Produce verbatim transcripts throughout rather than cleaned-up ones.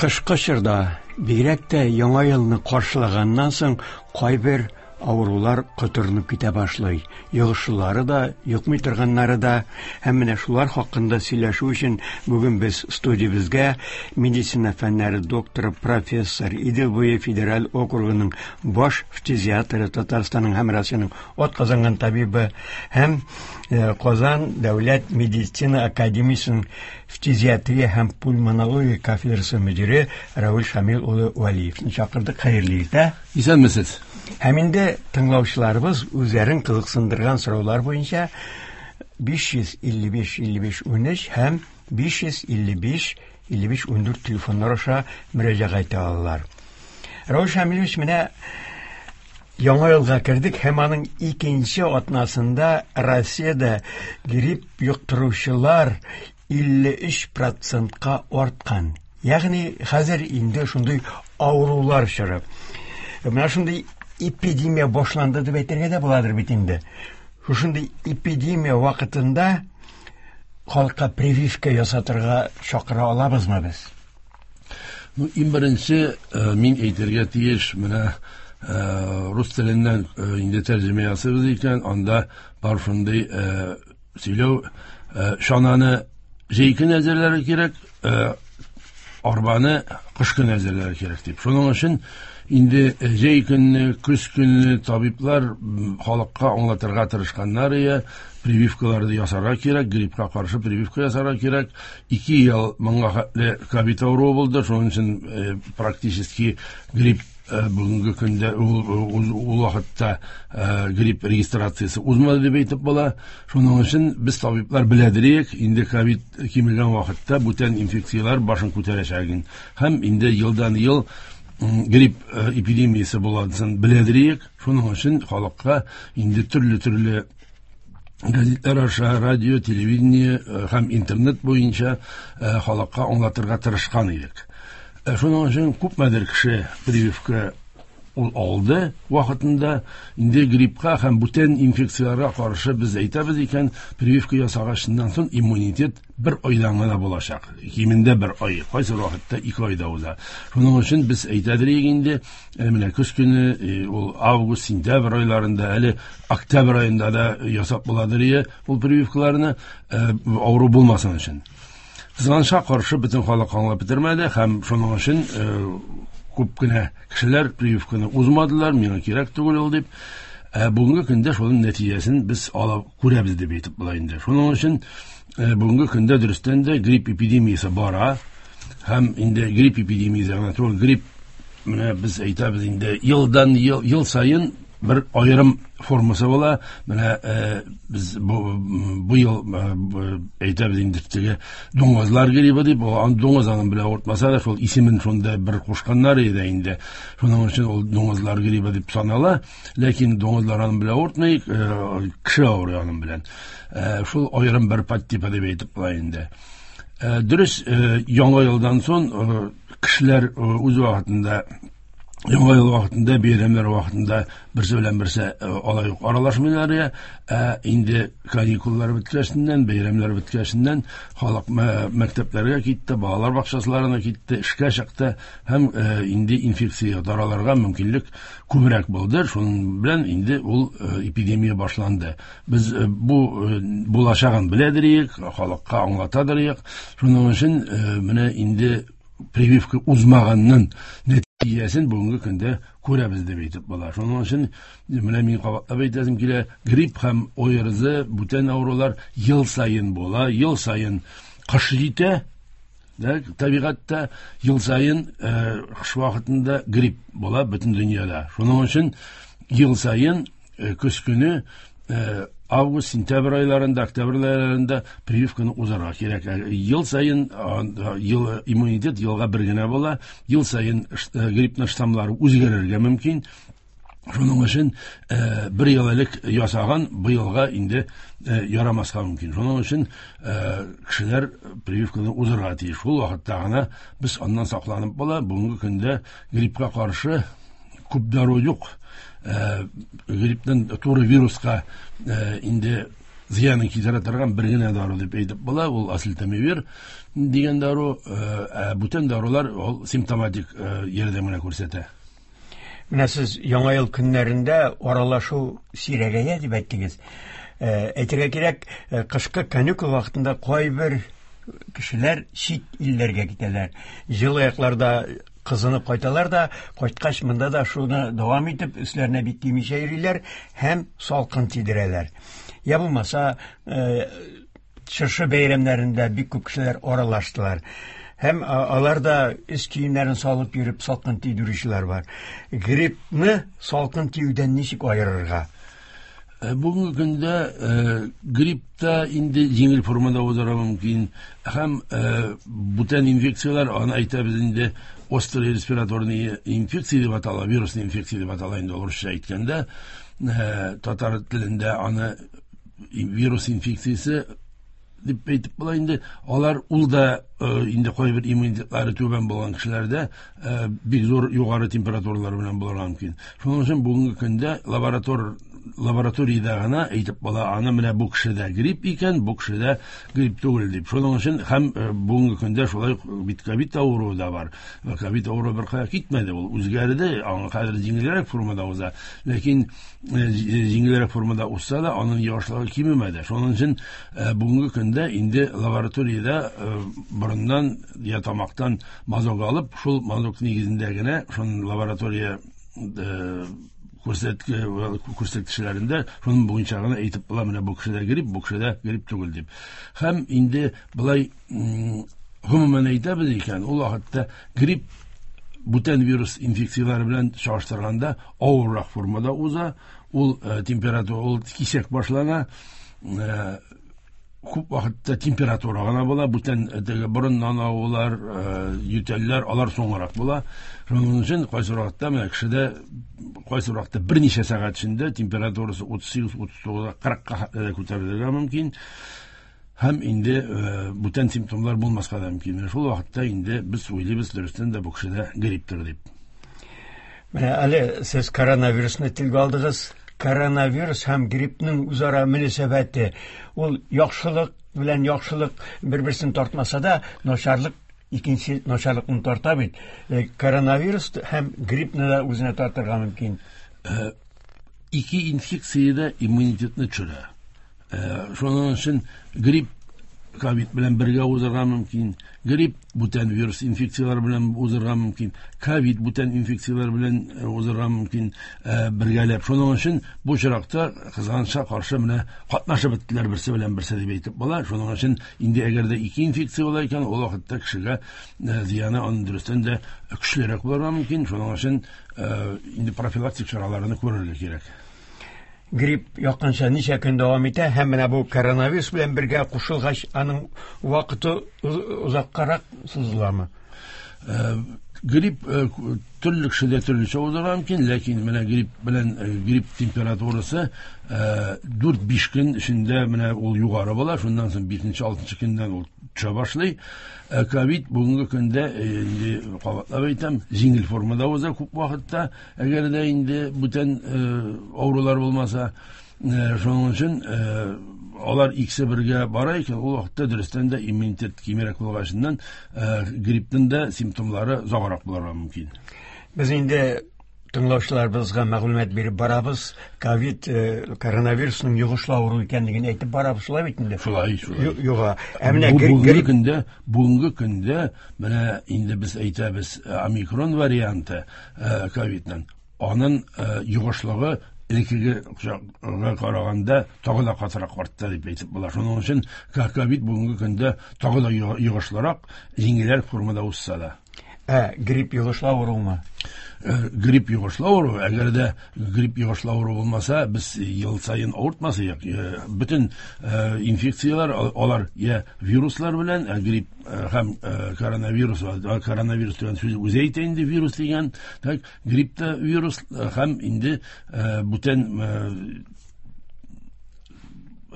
Кышкы чорда, бигрәк тә Яңа елны каршылаганнан соң, кайбер авырулар котырынып китә башлый. Йогышлылары да, йокмый торганнары да. Һәм менә шулар хакында сөйләшү өчен бүген без студиябезгә медицина фәннәре докторы, профессор, Идел буе федераль округының баш фтизиатры, Татарстанның һәм Россиянең атказанган табибы һәм Казан дәүләт медицина академиясенең фтизиатрия һәм пульмонология кафедрасы мөдире Равил Шамил улы Вәлиевне чакырдык. Хәерле иртә. Исәнмесез. Һәм инде тыңлаучыларыбыз үзләрен кызыксындырган сораулар буенча биш йөз илле биш илле биш унөч һәм биш йөз илле биш илле биш ундүрт телефоннар аша мөрәҗәгать итә алалар. Равил Шамилович, менә Яңа елга кердек һәм аның икенче атнасында Россиядә грипп йоктыручылар илле өч процентка арткан. Ягъни хәзер инде шундый авырулар чоры. Менә шундый эпидемия башланды дип әйтергә дә буладыр бит инде. Шушындый эпидемия вакытында халыкка прививка ясатырга чакыра алабызмы без? Ну, иң беренче, мин әйтергә тиеш, менә рус теленнән инде тәрҗемә ясыйбыз икән, анда бар шундый сөйләү, чананы җәй көне әзерләргә кирәк, арбаны кыш көне әзерләргә кирәк дип. Шуның өчен инде җәй көне, көз көне табиблар халыкка аңлатырга тырышканнар ия, прививкаларны ясарга кирәк, гриппка каршы прививка ясарга кирәк. Ике ел моңа хәтле ковид авыруы булды, шуның өчен практически грипп бүгенге көндә ул вакытта грипп регистрациясе узмады дип әйтеп була. Шуның өчен без табиблар беләдерек, инде ковид кимегән вакытта бүтән инфекцияләр башын күтәрәчәген һәм инде елдан ел грипп эпидемиясе буладысын беләдерек. Шуның өчен халыкка инде төрле-төрле газетлар аша, радио, телевидение һәм интернет буенча халыкка аңлатырга тырышкан идек. Шуның өчен күпмедер кеше прививка ул алды вакытында. Инде гриппка һәм бүтән инфекцияләргә каршы без әйтәбез икән, прививка ясагачыннан соң иммунитет бер айдан гына булачак. Кимендә бер ай, кайсы вакытта ике айда уза. Шуның өчен без әйтәдер инде, менә көз көне, ул август, сентябрь айларында, әле октябрь аенда да ясап буладыр ул прививкаларны, авыру булмасын өчен. Кызганычка каршы бөтен халык аңлап бетермәде һәм шуның өчен күп кенә кешеләр прививканы узмадылар, миңа кирәк түгел ул дип. Ә бүгенге көндә шуның нәтиҗәсен без алып күрәбез дип әйтеп була инде. Шуның өчен бүгенге көндә дөрестән дә грипп эпидемиясе бара һәм инде грипп эпидемиясе генә түгел, грипп менә без әйтәбез инде елдан ел, ел саен бер аерым формасы була. Менә без бу, бу ел әйтәбез инде теге дуңгызлар гриппы дип, ул дуңгыз аның белән авыртмаса да, шул исемен шунда бер кушканнар иде инде. Шуның өчен ул дуңгызлар гриппы дип санала, ләкин дуңгызлар аның белән авыртмый, кеше авырый аның белән. Шул аерым бер подтипы дип әйтеп була инде. Дөрес, яңа елдан соң кешеләр үз вакытында, Яңа ел вакытында, бәйрәмнәр вакытында берсе белән берсе алай ук аралашмыйлар я. Ә инде каникуллар беткәченнән, бәйрәмнәр беткәченнән халык мәктәпләргә китте, балалар бакчаларына китте, эшкә чыкты һәм инде инфекция таралырга мөмкинлек күбрәк булды. Шуның белән инде ул эпидемия башланды. Без бу булачагын беләдерик, халыкка аңлатадырык. Шуның өчен менә инде прививка узмаганның нәтиҗәсен бүгенге көндә күрәбез дип әйтеп була. Шуның өчен менә мин кабатлап әйтәсем килә, грипп һәм ОРЗ, бүтән авырулар ел саен була, ел саен кыш җитә, да, табигатьтә ел саен кыш вакытында грипп була бөтен дөньяда. Шуның өчен ел саен көз көне август, сентябрь айларында, октябрь айларында прививканы узарга кирәк. Ел саен ел, иммунитет елга бер генә була, ел саен гриппның штаммлары үзгәрергә мөмкин. Шуның өчен бер ел элек ясаган быелга инде ярамаска мөмкин. Шуның өчен кешеләр прививканы узарга тиеш. Шул вакытта гына без аннан сакланып була. Бүгенге көндә гриппка каршы күп дару юк. Грипптан туры вируска инде зыянын китерә торган бер генә дару дип әйтеп була, ул осельтамивир дигән дару. Ә бүтән дарулар ул симптоматик ярдәм генә күрсәтә. Менә сез Яңа ел көннәрендә аралашу сирәгәя дип әйттегез. Әйтергә кирәк, кышкы каникул вакытында кайбер кешеләр чит илләргә китәләр. Җылы якларда кызынып кайталар да, кайткач монда да шуны дәвам итеп, өсләренә бик кимичә йөриләр һәм салкын тидерәләр. Я булмаса, чыршы бәйрәмнәрендә бик күп кешеләр аралаштылар. Һәм алар да өс киемнәрен салып йөреп салкын тидерүчеләр бар. Гриппны салкын тиюдән ничек аерырга? Бүгенге көндә грипп та инде җиңел формада узарга мөмкин. Һәм бүтән инфекцияләр, аны әйтәбез инде, острый респираторный инфекция дип атала, вирусный инфекция дип атала инде урысча әйткәндә, татар телендә аны вирус инфекциясе дип әйтеп була инде. Алар ул да инде кайбер иммунитетлары түбән булган кешеләрдә бик зур югары температуралар белән булырга мөмкин. Шуның өчен бүгенге көндә лаборатор лабораториядә генә әйтеп була, аны менә бу кешедә грипп икән, бу кешедә грипп түгел дип. Шуның өчен һәм бүгенге көндә шулай бит ковид авыруы да бар. Ковид авыруы бер кая китмәде, ул үзгәрде, аңа хәзер җиңелрәк формада уза. Ләкин җиңелрәк формада узса да, аның йогышлыгы кимемәде. Шуның өчен бүгенге көндә инде лабораториядә борыннан я тамактан мазок алып, шул мазок нигезендә генә шуның лаборатория күрсәткечләрендә шуның буенча гына әйтеп була, менә бу кешедә грипп, бу кешедә грипп түгел дип. Һәм инде былай гомумән әйтәбез икән, ул вакытта грипп бүтән вирус инфекцияләре белән чагыштырганда авыррак формада уза, ул температура, ул кисәк башлана, күп вакытта температура гына була, бүтән теге борыннан агулар, ютәлләр, алар соңрак була. Шуның өчен кайсы вакытта менә кешедә кайсы вакытта берничә сәгать эчендә температурасы утыз сигез, утыз тугыз, кырыкка күтәрелергә мөмкин. Һәм инде бүтән симптомнар булмаска да мөмкин. Шул вакытта инде без уйлыйбыз, дөрестән дә бу кешедә грипптыр дип. Менә әле сез коронавирусны телгә алдыгыз. Коронавирус һәм гриппның үзара мөнәсәбәте, ул яхшылык белән яхшылык бер-берсен тартмаса да, начарлык икенче начарлыкны тарта бит. Коронавирус һәм гриппны да үзенә тартырга мөмкин. Ике инфекция дә иммунитетны төшерә. Шуның өчен грипп ковид белән бергә узарга мөмкин, грипп бүтән вирус инфекцияләре белән узарга мөмкин, ковид бүтән инфекцияләр белән узарга мөмкин бергәләп. Шуның өчен бу очракта кызганычка каршы менә катнашып беттеләр берсе белән берсе дип әйтеп була. Шуның өчен инде әгәр дә ике инфекция була икән, ул вакытта кешегә зыяны аның дөрестән дә көчлерәк булырга мөмкин. Шуның өчен инде профилактик чараларны күрергә кирәк. Грипп якынча ничә көн дәвам итә һәм менә бу коронавирус белән бергә кушылгач, аның вакыты озаккарак сузыламы? Грипп төрле кешедә төрлечә узарга мөмкин, ләкин менә грипп белән грипп температурасы дүрт-биш көн эчендә менә ул югары була, шуннан соң бишенче-алтынчы көннән ул төшә башлый. Ковид бүгенге көндә инде кабатлап әйтәм, җиңел формада уза күп вакытта, әгәр дә инде бүтән авырулар булмаса, шуның өчен алар икесе бергә бара икән, ул вакытта дөрестән дә иммунитет кимрәк булгачыннан гриппның да симптомнары озаграк булырга мөмкин. Без инде тыңлаучыларыбызга мәгълүмат биреп барабыз. Ковид, коронавирусның йогышлы авыру икәнлеген әйтеп барабыз, шулай бит инде? Шулай, шулай. Юга. Ә менә бүгенге көндә, бүгенге көндә менә инде без әйтәбез, омикрон варианты ковидның, аның йогышлыгы элеккеге караганда тагы да катырак артты дип әйтеп була. Шуның өчен ковид бүгенге көндә тагы да йогышлырак, җиңелрәк формада узса да. Ә грипп йогышлы авырумы? Грипп йогышлы авыру. Әгәр дә грипп йогышлы авыру булмаса, без ел саен авыртмас идек. Бөтен инфекцияләр алар я вируслар белән, ә грипп һәм коронавирус, коронавирус дигән сүз үзе әйтә инде, вирус дигән, так, грипп та вирус һәм инде бүтән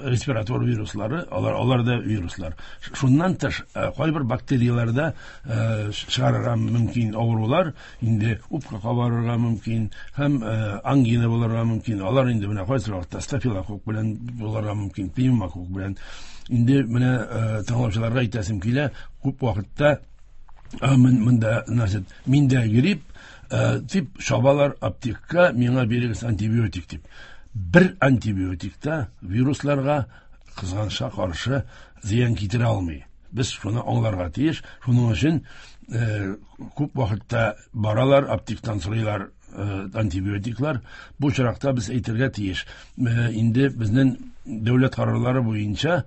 Респиратор вируслары, алар, алар да вируслар. Шуннан тыш, кайбер бактерияләрдә чыгарырга мөмкин авырулар, инде үпкә кабарырга мөмкин һәм ангина булырга мөмкин. Алар инде менә кайсы вакытта стафилококк белән булырга мөмкин, пневмококк белән. Инде менә тыңлаучыларга әйтәсем килә, күп вакытта монда, значит, миндә грипп дип чабалар аптекка, миңа бирегез антибиотик дип. Бер антибиотик та вирусларга кызганычка каршы зыян китерә алмый. Без шуны аңларга тиеш. Шуның өчен күп вакытта баралар, аптектан сорыйлар антибиотиклар. Бу очракта без әйтергә тиеш. Инде безнең дәүләт карарлары буенча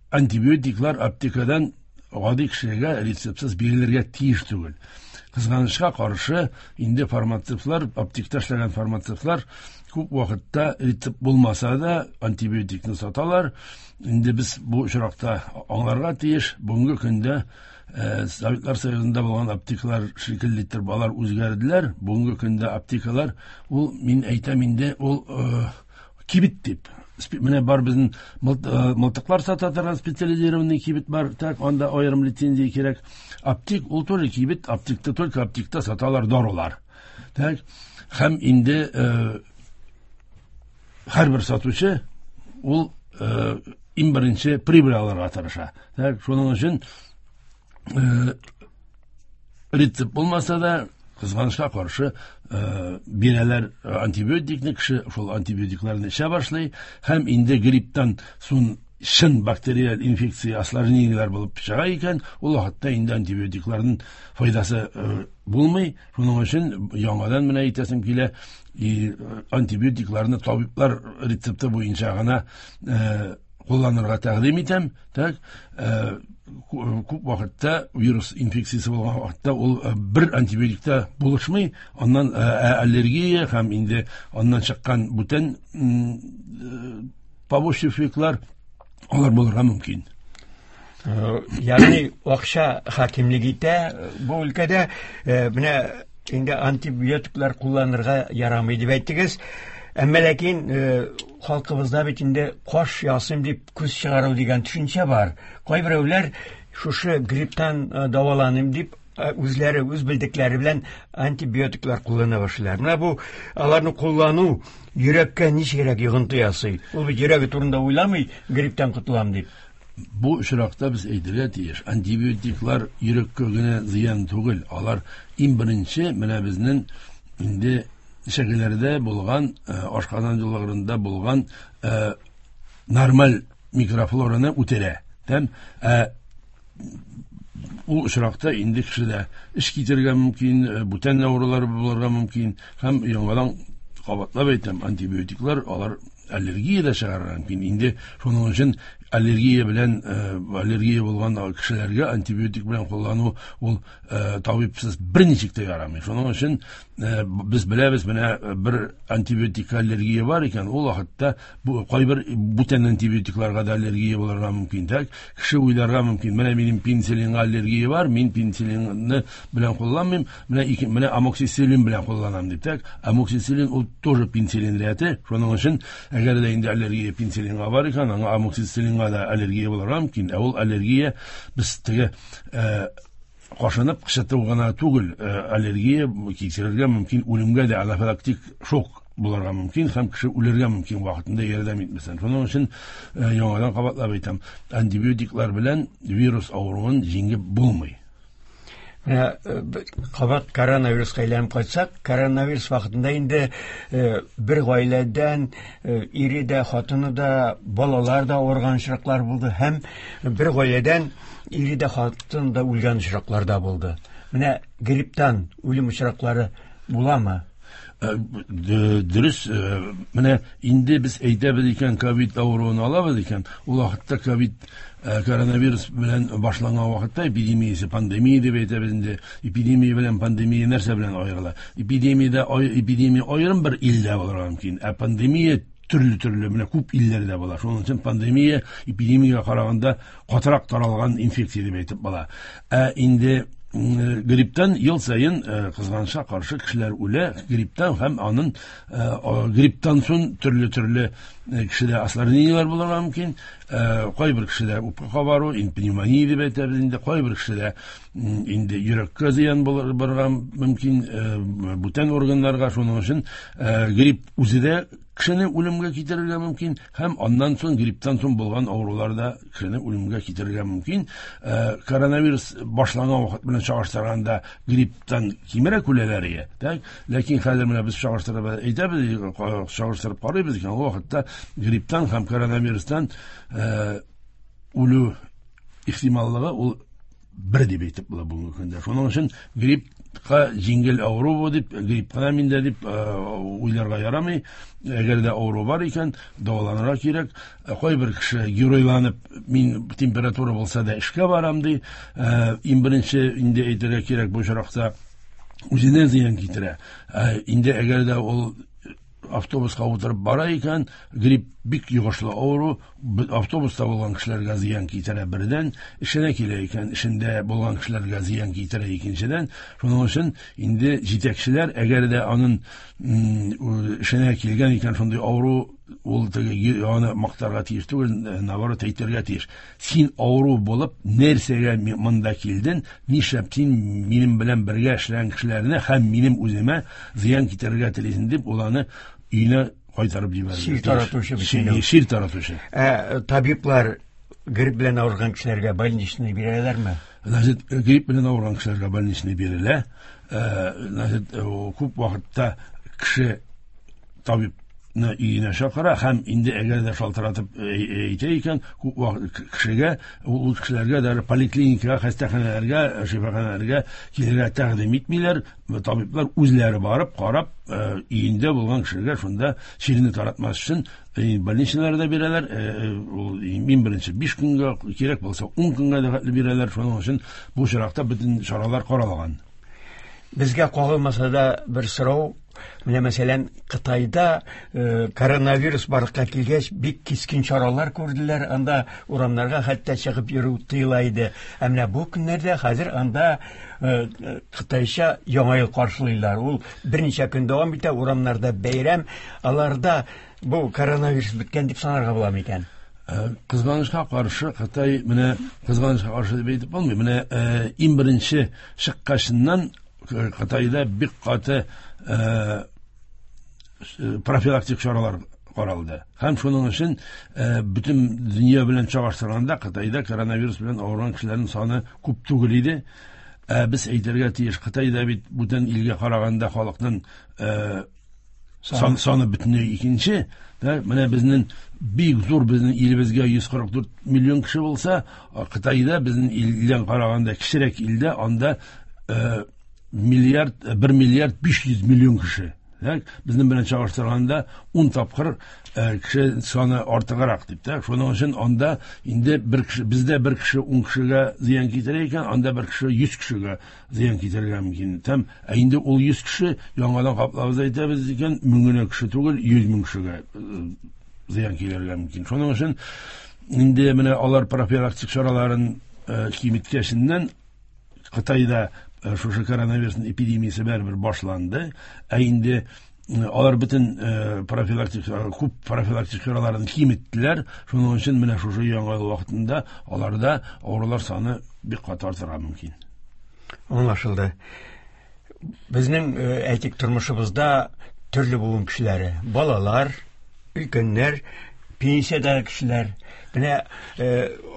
антибиотиклар аптекадан гади кешегә рецептсыз бирелергә тиеш түгел. Кызганычка каршы инде фармацевтлар, аптекта эшләгән фармацевтлар күп вакытта рецепт булмаса да антибиотикны саталар. Инде без бу очракта аңларга тиеш. Бүгенге көндә Советлар Союзында булган аптекалар шикелле итеп алар үзгәрделәр. Бүгенге көндә аптекалар ул, мин әйтәм инде, ул кибет дип. Менә бар безнең мылтыклар сата торган специализированный кибет бар, так анда аерым лицензия кирәк. Аптек ул тоже кибет, аптекта только аптекта саталар дарулар. Так, һәм инде һәрбер сатучы ул иң беренче прибыль алырга тырыша. Так, шуның өчен рецепт булмаса да, кызганычка каршы бирәләр антибиотикны, кеше шул антибиотикларны эчә башлый һәм инде грипптан соң чын бактериаль инфекция осложнениеләр булып чыга икән, ул вакытта инде антибиотикларның файдасы булмый. Шуның өчен яңадан менә әйтәсем килә, антибиотикларны табиблар рецепты буенча гына кулланырга тәкъдим итәм. Так, күп вакытта вирус инфекциясе булган вакытта ул бер антибиотикта булышмый, аннан аллергия һәм инде аннан чыккан бүтән побочный эффектлар алар булырга мөмкин. Ягъни акча хакимлек итә бу өлкәдә. Менә инде антибиотиклар кулланырга ярамый дип әйттегез. Әмма ләкин халкыбызда бит инде каш ясыйм дип күз чыгару дигән төшенчә бар. Кайберәүләр шушы грипптан дәваланыйм дип үзләре үз белдекләре белән антибиотиклар куллана башлыйлар. Менә бу аларны куллану йөрәккә ничегрәк йогынты ясый? Ул бит йөрәге турында уйламый, грипптан котылам дип. Бу очракта без әйтергә тиеш, антибиотиклар йөрәккә генә зыян түгел, алар иң беренче менә безнең инде эчәкләрдә булган, ашказан юлларында булган нормаль микрофлораны үтерә. Тәм, ул очракта инде кешедә эш китергә мөмкин, бүтән авырулар булырга мөмкин һәм яңадан кабатлап әйтәм, антибиотиклар алар аллергия дә чыгарырга мөмкин. Инде шуның өчен аллергия белән, аллергия булган кешеләргә антибиотик белән куллану ул табибсыз берничек тә ярамый. Шуның өчен без беләбез, менә бер антибиотикка аллергия бар икән, ул вакытта бу кайбер бүтән антибиотикларга да аллергия булырга мөмкин. Так, кеше уйларга мөмкин, менә минем пенициллинга аллергия бар, мин пенициллинны белән кулланмыйм, менә ике, менә амоксициллин белән кулланам дип. Так, амоксициллин ул тоже пенициллин рәте. Шуның өчен әгәр дә инде аллергия пенициллинга бар икән, аңа амоксициллинга да аллергия булырга мөмкин. Ә ул аллергия без теге кашынып кычыту гына түгел, аллергия кичерергә мөмкин, үлемгә дә анафилактик шок булырга мөмкин һәм кеше үлергә мөмкин вакытында ярдәм итмәсәң. Шуның өчен яңадан кабатлап әйтәм, антибиотиклар белән вирус авыруын җиңеп булмый. Менә кабат коронавируска әйләнеп кайтсак, коронавирус вакытында инде бер гаиләдән ире дә, хатыны да, балалар да авырган очраклар булды һәм бер гаиләдән ире дә, хатыны да үлгән очраклар да булды. Менә грипптан үлем очраклары буламы? Дөрес, менә инде без әйтәбез икән, ковид авыруын алабыз икән, ул вакытта ковид коронавирус белән башланган вакытта эпидемиясе, пандемия дип әйтәбез инде. Эпидемия белән пандемия нәрсә белән аерыла? Эпидемиядә эпидемия аерым бер илдә булырга мөмкин, ә пандемия төрле-төрле менә күп илләрдә була. Шуның өчен пандемия эпидемиягә караганда катырак таралган инфекция дип әйтеп була. Ә инде Грипптан ел саен кызганычка каршы кешеләр үлә, грипптан һәм аның грипптан соң төрле-төрле кешедә осложнениеләр булырга мөмкин. Кайбер кешедә үпкә кабару, пневмония дип әйтәбез инде, кайбер кешедә инде йөрәккә зыян булырга мөмкин, бүтән органнарга. Шуның өчен грипп үзе дә кешене үлемгә китерергә мөмкин, һәм аннан соң грипптан соң булган авырулар да кешене үлемгә китерергә мөмкин. Коронавирус башланган вакыт белән чагыштырганда грипптан кимрәк үләләр иде. Так, ләкин хәзер менә без чагыштырып әйтәбез, чагыштырып карыйбыз икән, ул вакытта грипптан һәм коронавирустан үлү ихтималлыгы ул бер дип әйтеп була бүгенге көндә. Шуның өчен гриппка җиңел авыру бу дип, грипп кына миндә дип уйларга ярамый. Әгәр дә авыру бар икән, дәваланырга кирәк. Кайбер кеше геройланып, мин температура булса да эшкә барам ди. Иң беренче инде әйтергә кирәк, бу очракта үзенә зыян китерә. Инде әгәр дә ул автобуска утырып бара икән, грипп бик йогышлы авыру, автобуста булган кешеләргә зыян китерә бердән, эшенә килә икән, эшендә булган кешеләргә зыян китерә икенчедән. Шуның өчен инде җитәкчеләр, әгәр дә аның эшенә килгән икән шундый авыру, ул теге аны мактарга тиеш түгел, наоборот әйтергә тиеш. Син авыру булып, нәрсәгә монда килдең, нишләп син минем белән бергә эшләгән кешеләрне һәм минем үземә зыян китерергә телисең дип, ул аны өенә кайтарып җибәрергә. Чир таратучы бит. Чир таратучы. Ә табиблар грипп белән авырган кешеләргә больничный бирәләрме? Значит, грипп белән авырган кешеләргә больничный бирелә. Значит, күп вакытта кеше табиб өенә чакыра һәм инде әгәр дә шалтыратып әйтә икән, күп вакыт кешегә, ул кешеләргә дә поликлиникага, хастаханәләргә, шифаханәләргә килергә тәкъдим итмиләр. Табиблар үзләре барып, карап, өендә булган кешеләргә шунда чирне таратмас өчен больничныйлар да бирәләр. Ул иң беренче биш көнгә, кирәк булса ун көнгә дә хәтле бирәләр. Шуның өчен бу очракта бөтен чаралар каралган. Безгә кагылмаса да бер сорау. Менә мәсәлән, Кытайда э, коронавирус барлыкка килгәч, бик кискен чаралар күрделәр. Анда урамнарга хәтта чыгып йөрү тыела иде. Ә менә бу көннәрдә хәзер анда э, Кытайча яңа ел каршылыйлар. Ул берничә көн дәвам итә, урамнарда бәйрәм. Аларда бу коронавирус беткән дип санарга була микән? Кызганычка каршы Кытай, менә кызганычка каршы дип әйтеп булмый. Менә иң беренче чыккачыннан Кытайда бик каты профилактик чаралар каралды. Һәм шуның өчен бөтен дөнья белән чагыштырганда Кытайда коронавирус белән авырган кешеләрнең саны күп түгел иде. Без әйтергә тиеш, Кытайда бит бүтән илгә караганда халыкның сан, саны бөтенләй икенче. Менә безнең бик зур безнең илебезгә йөз кырык дүрт миллион кеше булса, Кытайда безнең илдән караганда кечерәк илдә анда миллиард, бер миллиард биш йөз миллион кеше. Безнең белән чагыштырганда ун тапкыр кеше саны артыграк дип тә. Шуның өчен анда инде бер кеше, бездә бер кеше ун кешегә зыян китерә икән, анда бер кеше йөз кешегә зыян китерергә мөмкин. Һәм инде ул йөз кеше яңадан каплабыз әйтәбез икән, мең генә кеше түгел, йөз мең кешегә зыян килергә мөмкин. Шуның өчен инде менә алар профилактик чараларын киметкәченнән Кытайда шушы коронавирусның эпидемиясе бәрбер башланды. Ә инде алар бөтен профилактик, күп профилактик чараларын киметтеләр. Шуның өчен менә шушы яңа ел вакытында аларда авырулар саны бик каты артырга мөмкин. Аңлашылды. Безнең әйтик тормышыбызда төрле буын кешеләре, балалар, өлкәннәр, пенсиядәге кешеләр. Менә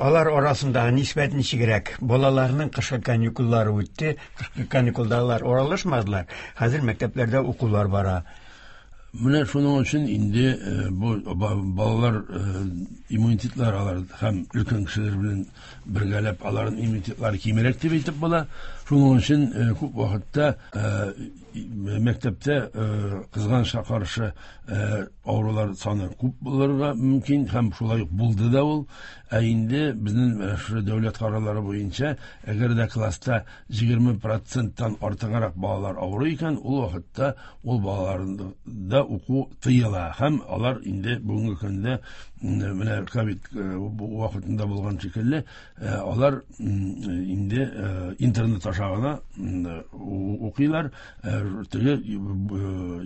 алар арасындагы нисбәт ничегрәк? Балаларның кышкы каникуллары үтте, кышкы каникулда алар аралашмадылар. Хәзер мәктәпләрдә укулар бара. Менә шуның өчен инде бу балалар иммунитетлары алар һәм өлкән кешеләр белән бергәләп аларның иммунитетлары кимрәк дип әйтеп була. Шуның өчен күп вакытта мәктәптә кызганычка каршы авырулар саны күп булырга мөмкин һәм шулай ук булды да ул. Ә инде безнең шушы дәүләт карарлары буенча, әгәр дә класста егерме проценттан артыграк балалар авыру икән, ул вакытта ул балаларда уку тыела һәм алар инде бүгенге көндә менә ковид вакытында булган шикелле алар инде интернет аша аша гына укыйлар. Теге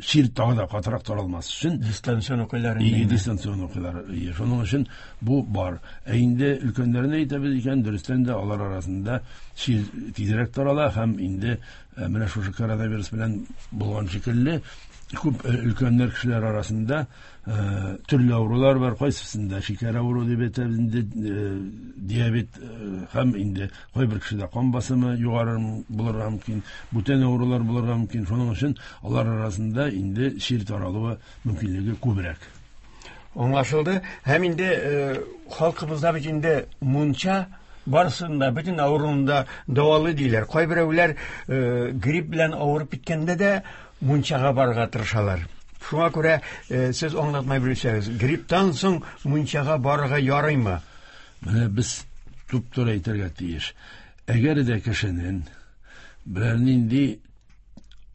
чир тагы да катырак таралмас өчен дистанцион укыйлар. Дистанцион укыйлар. Шуның өчен бу бар. Ә инде өлкәннәрне әйтәбез икән, дөрестән дә алар арасында чир тизрәк тарала һәм инде менә шушы коронавирус белән булган шикелле күп өлкәннәр кешеләр арасында төрле авырулар бар. Кайсысында шикәр авыруы дип әйтәбез инде, диабет һәм инде кайбер кешедә кан басымы югары булырга мөмкин, бүтән авырулар булырга мөмкин. Шуның өчен алар арасында инде чир таралуы мөмкинлеге күбрәк. Аңлашылды. Һәм инде халкыбызда бит инде мунча барысында, бөтен авыруында дәвалы диләр. Кайберәүләр грипп белән авырып киткәндә дә мунчага барырга тырышалар. Шуңа күрә сез аңлатмай белсәгез, грипптан соң мунчага барырга ярыймы? Менә без туп-туры әйтергә тиеш. Әгәр дә кешенең берәр нинди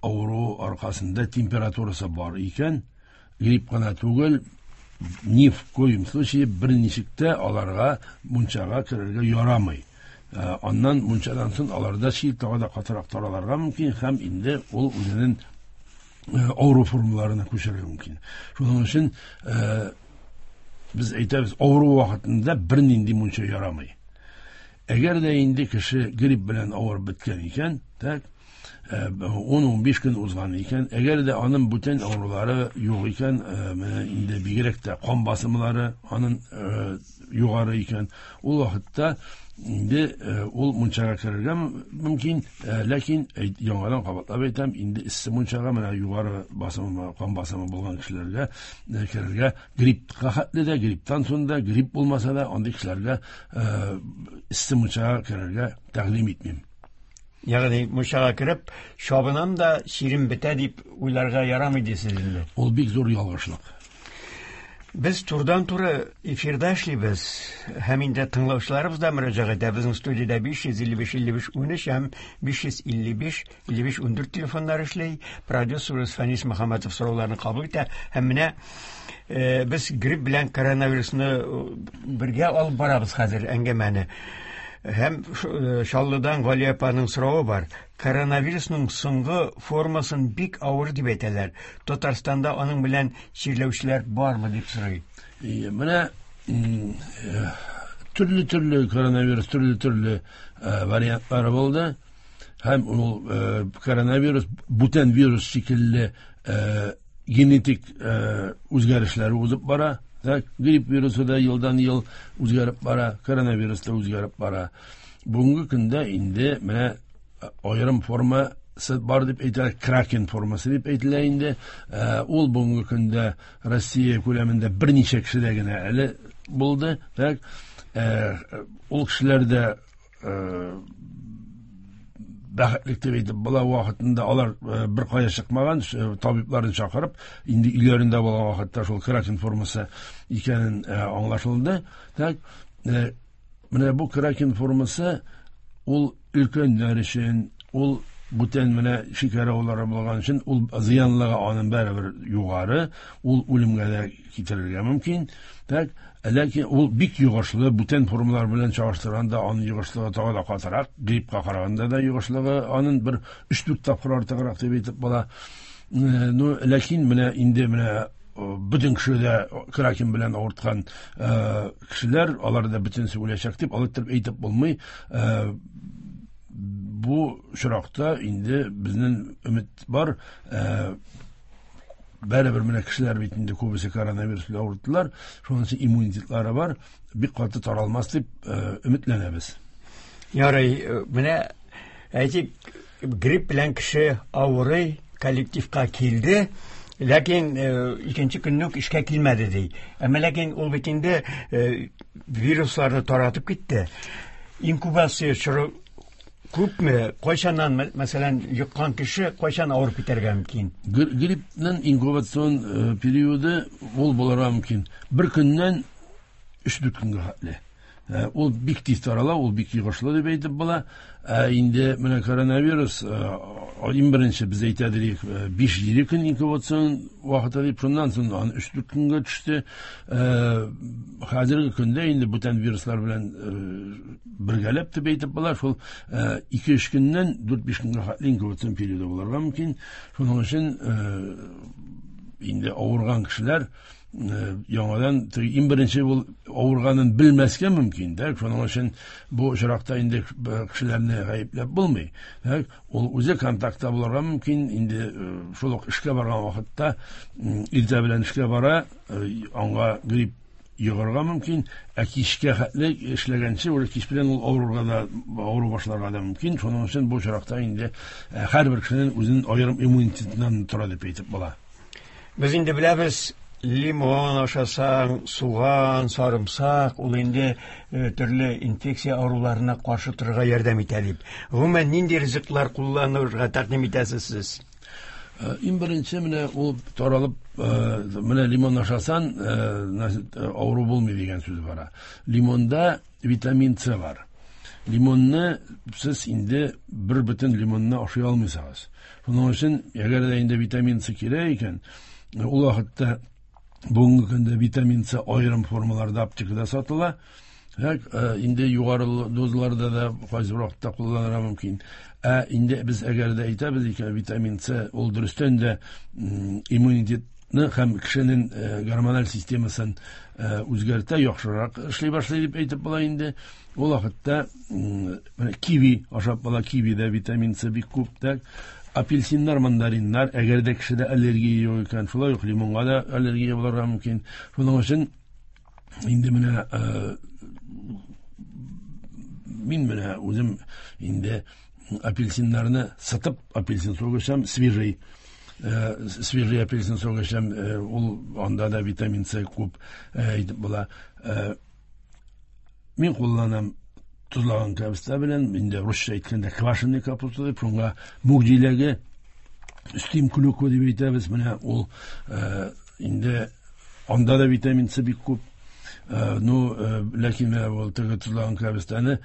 авыру аркасында температурасы бар икән, грипп кына түгел, ни в коем случае берничек тә аларга мунчага керергә ярамый. Аннан мунчадан соң аларда чир тагы да катырак таралырга мөмкин һәм инде ул үзенең авыру формаларына күчәргә мөмкин. Шуның өчен без әйтәбез, авыру вакытында бернинди мунча ярамый. Әгәр дә инде кеше грипп белән авырып беткән икән, так, ун-унбиш көн узган икән, әгәр дә аның бүтән авырулары юк икән, менә инде бигрәк тә кан басымлары аның югары икән, ул вакытта инде ул мунчага керергә мөмкин, ләкин яңадан кабатлап әйтәм, инде эссе мунчага менә югары басымы, кан басымы булган кешеләргә керергә гриппка хәтле дә, грипптан соң да, грипп булмаса да, андый кешеләргә эссе мунчага керергә тәкъдим итмим. Ягъни мунчага кереп, чабынам да чирем бетә дип уйларга ярамый дисез инде. Ул бик зур ялгышлык. Без турыдан-туры эфирда эшлибез. Һәм инде тыңлаучыларыбыз да мөрәҗәгать итә. Безнең студиядә биш йөз илле биш илле биш унөч һәм биш йөз илле биш илле биш ундүрт телефоннар эшли. Продюсерыбыз Фәнис Мөхәммәтов сорауларны кабул итә. Һәм менә без грипп белән коронавирусны бергә алып барабыз хәзер әңгәмәне. Һәм Чаллыдан Галия апаның соравы бар. Коронавирусның соңгы формасын бик авыр дип әйтәләр. Татарстанда аның белән чирләүчеләр бармы дип сорый. Менә төрле-төрле коронавирус, төрле-төрле вариантлары булды. Һәм ул коронавирус бүтән вирус шикелле генетик үзгәрешләре узып бара. Так, грипп вирусы да елдан ел үзгәреп бара, коронавирус та үзгәреп бара. Бүгенге көндә инде менә аерым формасы бар дип әйтелә, кракен формасы дип әйтелә инде. Ул бүгенге көндә Россия күләмендә берничә кешедә генә әле булды. Так, ул кешеләр дә бәхетлек дип әйтеп була, вакытында алар бер кая чыкмаган, табибларын чакырып, инде өйләрендә булган вакытта шул кракен формасы икәнен аңлашылды. Так, менә бу кракен формасы ул өлкәннәр өчен, ул бүтән менә шикәр авырулары булган өчен ул зыянлыгы аның бәрібір югары, ул үлемгә дә китерергә мөмкин. Так, ләкин ул бик йогышлы, бүтән формалар белән чагыштырганда аның йогышлыгы тагы да катырак, гриппка караганда да йогышлыгы аның бер өч-дүрт тапкыр артыграк дип әйтеп була. Ну, ләкин менә инде менә бөтен кеше дә кракен белән авырткан кешеләр, алар да бөтенесе үләчәк дип алай итеп әйтеп булмый. Бу очракта инде безнең өмет бар. Бәрібір менә кешеләр бит инде күбесе коронавирус белән авырттылар, шуның өчен иммунитетлары бар, бик каты таралмас дип өметләнәбез. Ярый, менә әйтик, грипп белән кеше авырый, коллективка килде, ләкин икенче көнне үк эшкә килмәде ди. Әмма ләкин ул бит инде вирусларны таратып китте. Инкубация чоры күпме, кайчаннан, мәсәлән, йоккан кеше кайчан авырып китәргә мөмкин? Гриппның инкубацион периоды ул булырга мөмкин. Бер көннән өч-дүрт көнгә хәтле. Ул бик тиз тарала, ул бик йогышлы дип әйтеп була. Ә инде менә коронавирус Иң беренче без әйтә дирек биш җиде көн инкубацион вакыты дип, шуннан соң аны өч дүрт көнгә төште. Хәзерге көндә инде бүтән вируслар белән бергәләп дип әйтеп була, шул ике өч көннән дүрт биш көнгә хәтле инкубацион периоды булырга мөмкин. Шуның өчен инде авырган кешеләр яңадан иң беренче ул авырганын белмәскә мөмкин, дә. Шуның өчен бу очракта инде кешеләрне гаепләп булмый. Дә, ул үзе контактта булырга мөмкин. Инде шул ук эшкә барган вакытта иртә белән эшкә бара, аңа грипп йогарга мөмкин, ә кичкә хәтле эшләгәнче, ул кич белән ул авыруга да, авыру башларга да мөмкин. Шуның өчен бу очракта инде һәрбер кешенең үзенең аерым иммунитетыннан тора дип әйтеп була. Без инде беләбез, лимон ашасаң, суган, сарымсак, ул инде төрле инфекция авыруларына каршы торырга ярдәм итә дип. Гомумән, нинди ризыклар кулланырга тәкъдим итәсез сез? Иң беренче менә ул таралып, менә лимон ашасан, авыру булмый дигән сүз бара. Лимонда витамин С бар. Лимонны сез инде бер бөтен лимонны ашый алмыйсыз. Шуның өчен, әгәр дә инде витамин С кирәк икән, ул вакытта бүгенге көндә витамин С аерым формаларда аптекада сатыла. Инде югары дозаларда да кайсы бер вакытта кулланырга мөмкин. Ә инде без әгәр дә әйтәбез икән, витамин С ул дөрестән дә иммунитетны һәм кешенең гормональ системасын үзгәртә, яхшырак эшли башлый дип әйтеп була инде. Ул вакытта киви ашап була, кивида витамин С бик күп. Так, апельсиннар, мандариннар, әгәр дә кешедә аллергия юк икән, шулай ук лимонга да аллергия булырга мөмкин. Шуның өчен инде менә мин менә үзем инде апельсиннарны сытып апельсин согы эчәм, свежий, свежий апельсин согы эчәм, ул анда да витамин С күп әйтеп була. Мин кулланам тозлаган кәбестә белән, инде русча әйткәндә квашеный капуста дип, шуңа мүк җиләге, өстим клюква дип әйтәбез. Менә ул инде анда да витамин С бик күп. Ну, ләкин менә ул теге тозлаган кәбестәне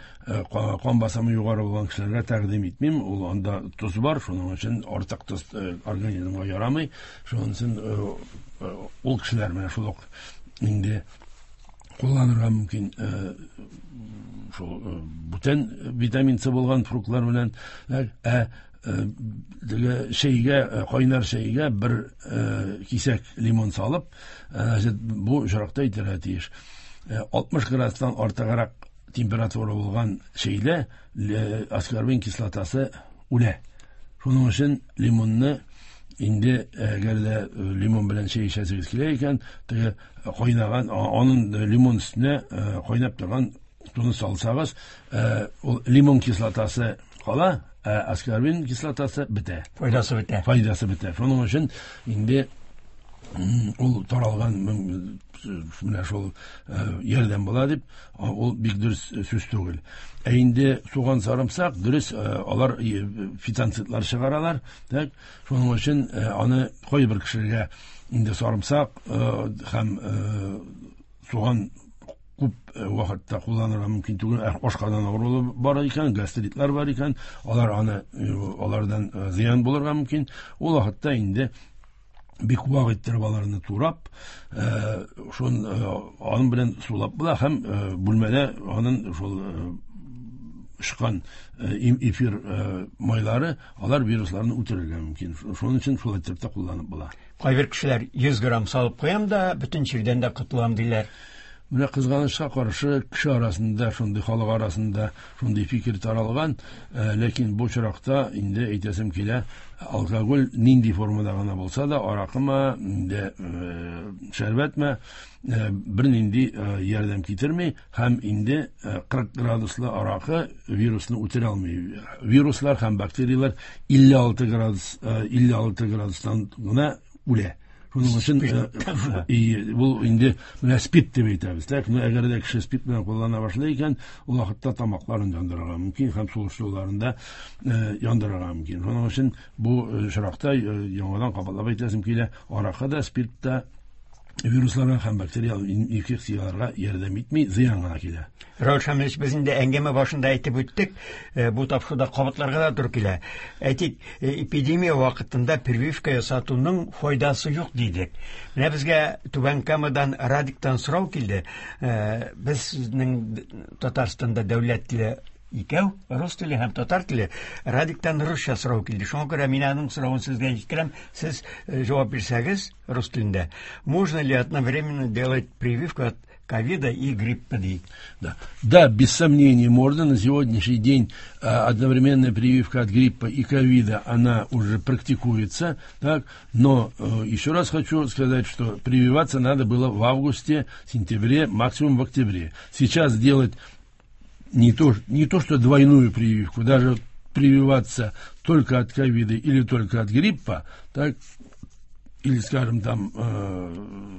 кан басымы югары булган кешеләргә тәкъдим итмим. Ул анда тоз бар, шуның өчен артык тоз организмга ярамый. Шуның өчен ул кешеләр менә шул ук инде кулланырга мөмкин шул бүтән витамин С булган фруктлар белән. Ә теге чәйгә, кайнар чәйгә бер кисәк лимон салып, бу очракта әйтергә тиеш. алтмыш градустан артыграк температура булган чәйдә аскорбин кислотасы үлә. Шуның өчен лимонны инде әгәр дә лимон белән чәй эчәсегез килә икән, теге кайнаган, аның лимон өстенә кайнап торган суны салсагыз, ул лимон кислотасы кала, ә аскорбин кислотасы бетә. Файдасы бетә. Файдасы бетә. Шуның өчен инде ул таралган менә шул ярдәм була дип, ул бик дөрес сүз түгел. Ә инде суган, сарымсак, дөрес, алар фитонцидлар чыгаралар. Так, шуның өчен аны кайбер кешегә инде сарымсак һәм суган күп вакытта кулланырга мөмкин түгел. Ашказан авыруы бар икән, гастритлар бар икән, алар аны, алардан зыян булырга мөмкин. Ул вакытта инде бик вак иттереп аларны турап, шун аның белән сулап була һәм бүлмәдә аның шул очкан эфир майлары, алар вирусларны үтерергә мөмкин. Шуның өчен шулай итеп тә кулланып була. Кайбер кешеләр йөз грамм салып куям да, бөтен чирдән дә котылам диләр. Менә кызганычка каршы кеше арасында, шундый халык арасында шундый фикер таралган, ләкин бу очракта инде әйтәсем килә, алкоголь нинди формада гына булса да, аракымы, инде шәрбәтме, бер нинди ярдәм китерми һәм инде кырык градуслы аракы вирусны үтерә алмый. Вируслар һәм бактерияләр илле алты градус, илле алты градустан гына үлә. Шуның өчен бу инде менә спирт дип әйтәбез. Так, менә әгәр дә кеше спирт белән куллана башлый икән, ул вакытта тамакларын яндырырга мөмкин һәм сулыш юлларын да яндырырга мөмкин. Шуның өчен бу очракта яңадан кабатлап әйтәсем килә, аракы да, спирт та Вирусларга һәм бактериаль инфекцияларга ярдәм итми, зыян гына килә. Раул Шамилович, без инде әңгәмә башында әйтеп үттек, бу тапшыруда кабатларга да туры килә. Әйтик, эпидемия вакытында прививка ясатуның файдасы юк дидек. Менә безгә Түбән Камадан Радиктан сорау килде. Безнең Татарстанда дәүләт теле икәү, рус теле һәм татар теле. Радиктан русча сорау килде. Шуңа күрә мин аның соравын сезгә җиткерәм. Сез җавап бирсәгез рус телендә. Можно ли одновременно делать прививку от ковида и гриппа? Да. Да, без сомнения можно. На сегодняшний день одновременная прививка от гриппа и ковида, она уже практикуется. Так? Но еще раз хочу сказать, что прививаться надо было в августе, сентябре, максимум в октябре. Сейчас делать не то, не то, что двойную прививку, даже прививаться только от ковида или только от гриппа, так, или, скажем, там э,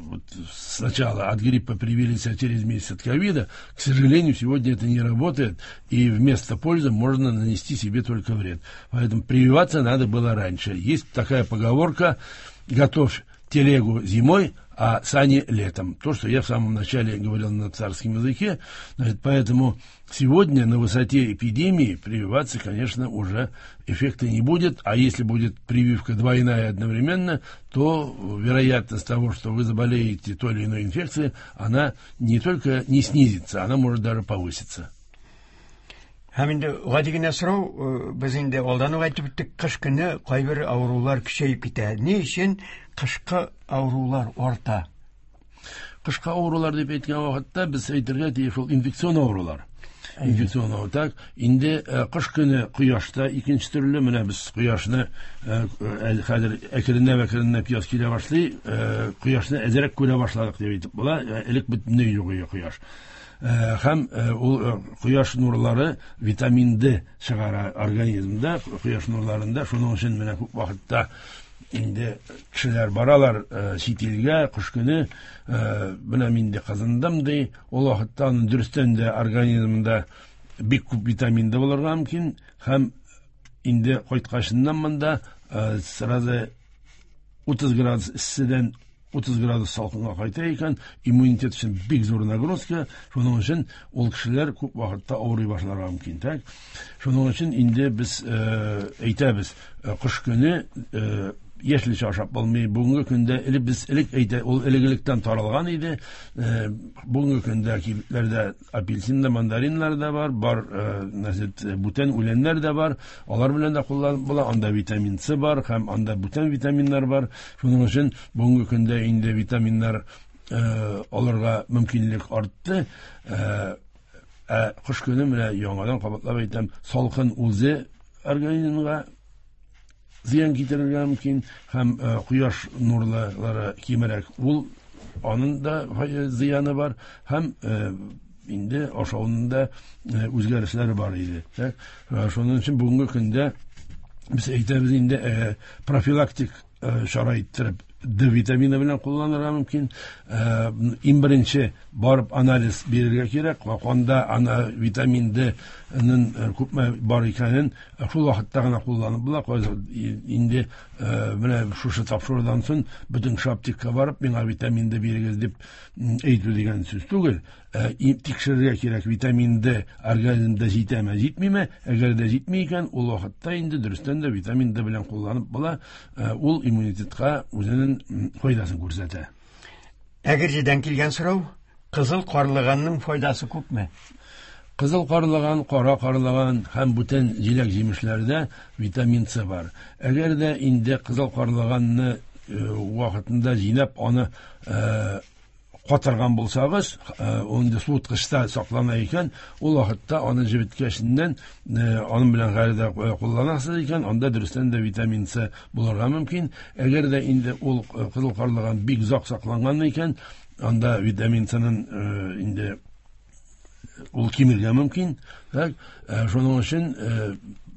вот сначала от гриппа привились, а через месяц от ковида, к сожалению, сегодня это не работает, и вместо пользы можно нанести себе только вред. Поэтому прививаться надо было раньше. Есть такая поговорка: готовь телегу зимой, а сани летом. То, что я в самом начале говорил на царском языке. Значит, поэтому сегодня на высоте эпидемии прививаться, конечно, уже эффекта не будет. А если будет прививка двойная одновременно, то вероятность того, что вы заболеете той или иной инфекцией, она не только не снизится, она может даже повыситься. Һәм инде гади генә сорау, без инде алдан ук әйтеп үттек, кыш көне кайбер авырулар көчәеп китә. Ни өчен кышкы авырулар арта? Кышкы авырулар дип әйткән вакытта без әйтергә тиеш ул инфекцион авырулар. Инфекцион авыру. Так, инде кыш көне кояшта икенче төрле, менә без кояшны хәзер әкренләп-әкренләп яз килә башлый, кояшны әзрәк күрә башладык дип әйтеп була. Элек бөтенләй юк иде кояш. Һәм ул кояш нурлары витамин Д чыгара организмда, кояш нурларында. Шуның өчен менә күп вакытта инде кешеләр баралар чит илгә кыш көне, менә мин дә кызындым ди, ул вакытта аның дөрестән дә организмында бик күп витамин Д булырга мөмкин, һәм инде кайткачыннан монда сразу утыз градус эсседән утыз градус салкынга кайта икән, иммунитет өчен бик зур нагрузка. Шуның өчен ул кешеләр күп вакытта авырый башларга мөмкин. Так, шуның өчен инде без әйтәбез, кыш көне яшелчә ашап булмый. Бүгенге көндә элек без элек әйтә, ул элек-электән таралган иде. Бүгенге көндә кибетләрдә апельсин да, мандариннар да бар, бар, значит, бүтән үләннәр дә бар. Алар белән дә кулланып була. Анда витамин С бар һәм анда бүтән витаминнар бар. Шуның өчен бүгенге көндә инде витаминнар алырга мөмкинлек артты. Ә кыш көне менә яңадан кабатлап әйтәм, салкын үзе организмга зыян китерергә мөмкин, һәм кояш нурлары кимерәк, ул аның да зыяны бар, һәм инде ашауның да үзгәрешләре бар иде. Шуның өчен бүгенге көндә без әйтәбез инде профилактик чара иттереп Д витамины белән кулланырга мөмкин. Иң беренче барып анализ бирергә кирәк. Канда ана витамин Д ның күпме бар икәнен шул вакытта гына кулланып була. Инде менә шушы тапшырудан соң бөтен кеше аптекага барып миңа витамин Д бирегез дип әйтү дигән сүз түгел. Тикшерергә кирәк, витамин Д организмда җитәме, җитмиме? Әгәр дә җитми икән, ул вакытта инде дөрестән дә витамин Д белән кулланып була. Ул иммунитетка үзенең файдасын күрсәтә. Әгерҗедән килгән сорау: кызыл карлыганның файдасы күпме? Кызыл карлыган, кара карлыган һәм бүтән җиләк-җимешләрдә витамин С бар. Әгәр дә инде кызыл карлыганны вакытында җыйнап, аны катырган булсагыз, ул инде суыткычта саклана икән, ул вакытта аны җебеткәченнән аның белән гайре дә кулланасыз икән, анда дөрестән дә витамин С булырга мөмкин. Әгәр дә инде ул кызыл карлыган бик озак сакланган икән, анда витамин С-ның инде ул кимергә мөмкин. Так, шуның өчен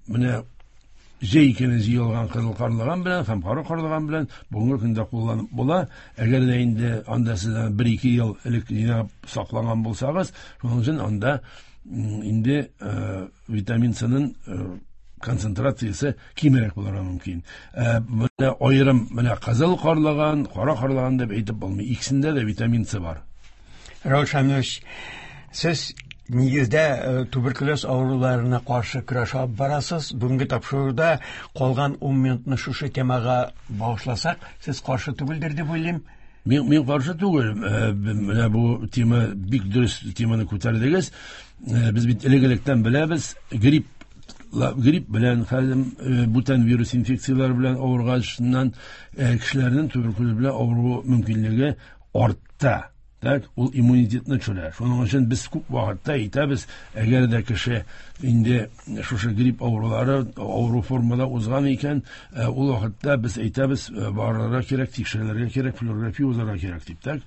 менә җәй көне җыелган кызыл карлыган белән һәм кара карлыган белән бүгенге көндә кулланып була. Әгәр дә инде анда сез бер-ике ел элек җыйнап саклаган булсагыз, шуның өчен анда инде витамин С-ның концентрациясе кимрәк булырга мөмкин. Менә аерым менә кызыл карлыган, кара карлыган дип әйтеп булмый. Икесендә дә витамин С бар. Рауль Шамилович, сез нигездә туберкулез авыруларына каршы көрәш алып барасыз. Бүгенге тапшыруда калган ун минутны шушы темага багышласак, сез каршы түгелдер дип уйлыйм. Мин, мин каршы түгел. Менә бу тема бик дөрес теманы күтәрдегез. Без бит элек-электән беләбез, грипп грипп белән хәзер бүтән вирус инфекцияләре белән авырганнан кешеләрнең туберкулез белән авыру мөмкинлеге артта. Так, ул иммунитетны төшерә. Шуның өчен без күп вакытта әйтәбез, әгәр дә кеше инде шушы грипп авырулары авыру формада узган икән, ул вакытта без әйтәбез, барырга кирәк, тикшерелергә кирәк, флюорография узарга кирәк дип. Так,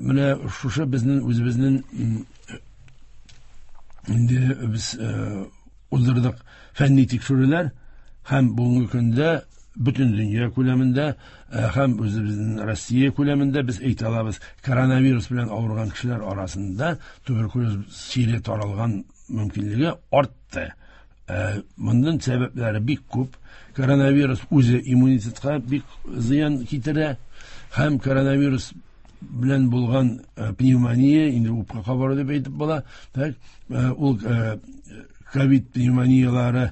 менә шушы безнең үзебезнең инде без уздырдык фәнни тикшерүләр һәм бүгенге көндә бөтен дөнья күләмендә һәм үзебезнең Россия күләмендә без әйтә алабыз, коронавирус белән авырган кешеләр арасында туберкулез чире таралган мөмкинлеге артты. Моның сәбәпләре бик күп. Коронавирус үзе иммунитетка бик зыян китерә һәм коронавирус белән булган пневмония, инде үпкә кабару дип әйтеп була, так, ул ковид пневмониялары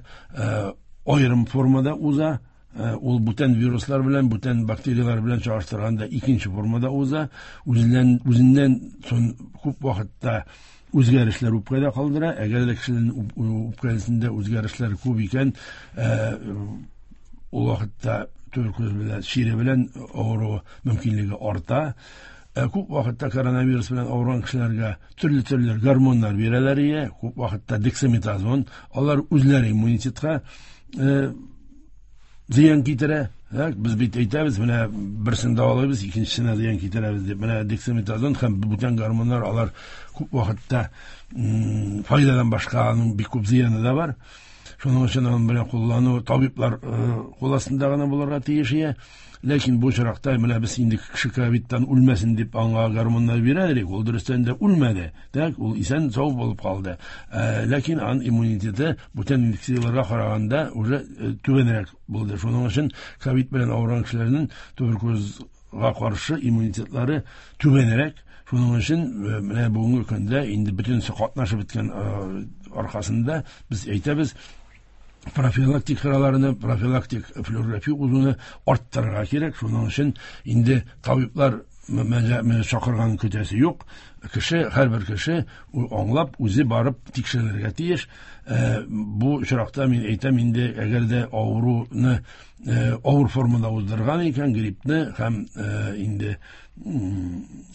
аерым формада уза. Ул бүтән вируслар белән, бүтән бактериялар белән чагыштырганда икенче формада уза. Үзеннән, үзеннән сон күп вакытта үзгәрешләр үпкәдә калдыра. Әгәр дә кешенең үпкәсендә үзгәрешләр күп икән, ул вакытта туберкулез белән, чире белән авыру мөмкинлеге арта. Күп вакытта коронавирус белән авырган кешеләргә төрле-төрле гормоннар бирәләр ие, күп вакытта дексаметазон, алар үзләре иммунитетка зыян китерә. Без бит әйтәбез, менә берсен дәвалыйбыз, икенчесенә зыян китерәбез дип. Менә дексаметазон һәм бүтән гормоннар алар күп вакытта файдадан башка аның бик күп зыяны да бар. Шуның өчен аның белән куллану табиблар кул астында гына булырга тиеш ие. Ләкин бу очракта менә без инде кеше ковидтан үлмәсен дип аңа гормоннар бирәдек, ул дөрестән дә үлмәде. Так, ул исән сау булып калды. Ләкин аның иммунитеты бүтән инфекцияләргә караганда уже түбәнрәк булды. Шуның өчен ковид белән авырган кешеләрнең туберкулезга каршы иммунитетлары түбәнрәк. Шуның өчен менә бүгенге көндә инде бөтенесе катнашып беткән аркасында без әйтәбез, профилактик чараларны, профилактик флюорография узуны арттырырга кирәк. Шуның өчен инде табиблар чакырган көтәсе юк. Кеше, һәрбер кеше аңлап, үзе барып тикшерелергә тиеш. Бу очракта мин әйтәм инде, әгәр дә авыруны авыр формада уздырган икән, гриппны һәм инде